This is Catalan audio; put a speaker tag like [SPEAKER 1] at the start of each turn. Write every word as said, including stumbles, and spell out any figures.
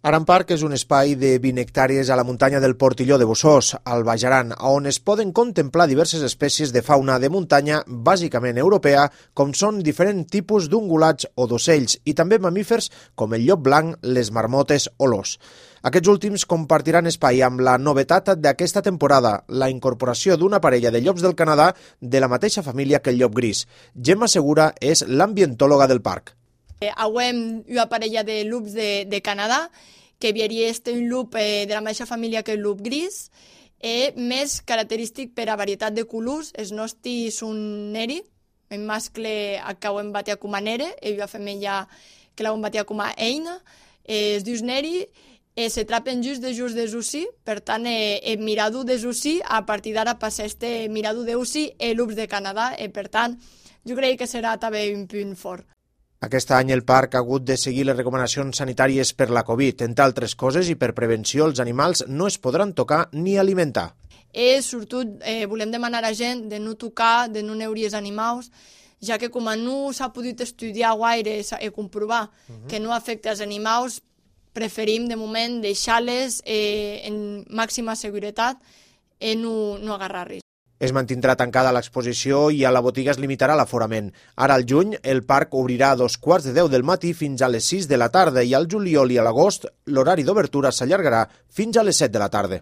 [SPEAKER 1] Aran Park és un espai de vint hectàrees a la muntanya del Portilló de Bossòs, al Baix Aran, on es poden contemplar diverses espècies de fauna de muntanya, bàsicament europea, com són diferents tipus d'ungulats o d'ocells, i també mamífers com el llop blanc, les marmotes o l'ós. Aquests últims compartiran espai amb la novetat d'aquesta temporada, la incorporació d'una parella de llops del Canadà de la mateixa família que el llop gris. Gemma Segura és l'ambientòloga del parc.
[SPEAKER 2] Avem una parella de lups de, de Canadà, que havia este un lup eh, de la mateixa família que el lup gris, eh, més característic per a varietat de colors. Els nostres són neri, el mascle que ho hem batia com a nere, i la femella que l'hem batia com a eina, eh, es diu neri, eh, se trapen just de just de Jussi, per tant, eh, el miradu de Jussi, a partir d'ara passa este miradu de Jussi, el lups de Canadà, eh, per tant, jo crec que serà també un punt fort.
[SPEAKER 1] Aquest any el parc ha hagut de seguir les recomanacions sanitàries per la Covid. Entre altres coses i per prevenció, els animals no es podran tocar ni alimentar.
[SPEAKER 2] I sobretot eh, volem demanar a la gent de no tocar, de no neure els animals, ja que com no s'ha pogut estudiar gaire i comprovar uh-huh. que no afecta els animals, preferim de moment deixar-les eh, en màxima seguretat i no, no agarrar-los.
[SPEAKER 1] Es mantindrà tancada l'exposició i a la botiga es limitarà l'aforament. Ara al juny el parc obrirà a dos quarts de deu del matí fins a les sis de la tarda i al juliol i a l'agost l'horari d'obertura s'allargarà fins a les set de la tarda.